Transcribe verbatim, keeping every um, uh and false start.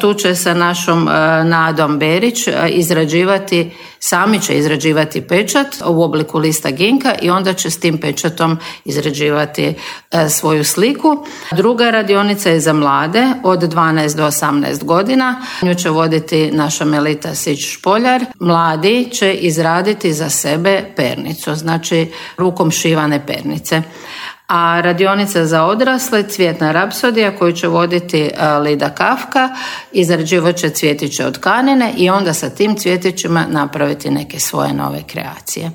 Tu će sa našom Nadom Berić izrađivati, sami će izrađivati pečat u obliku lista ginka i onda će s tim pečatom izrađivati svoju sliku. Druga radionica je za mlade od dvanaest do osamnaest godina. Nju će voditi naša Melita Sić-Špoljar. Mladi će izraditi za sebe pernicu, znači rukom šivane pernice. A radionica za odrasle Cvjetna rapsodija koju će voditi Lida Kafka, izrađivat će cvjetiće od tkanine i onda sa tim cvjetićima napraviti neke svoje nove kreacije.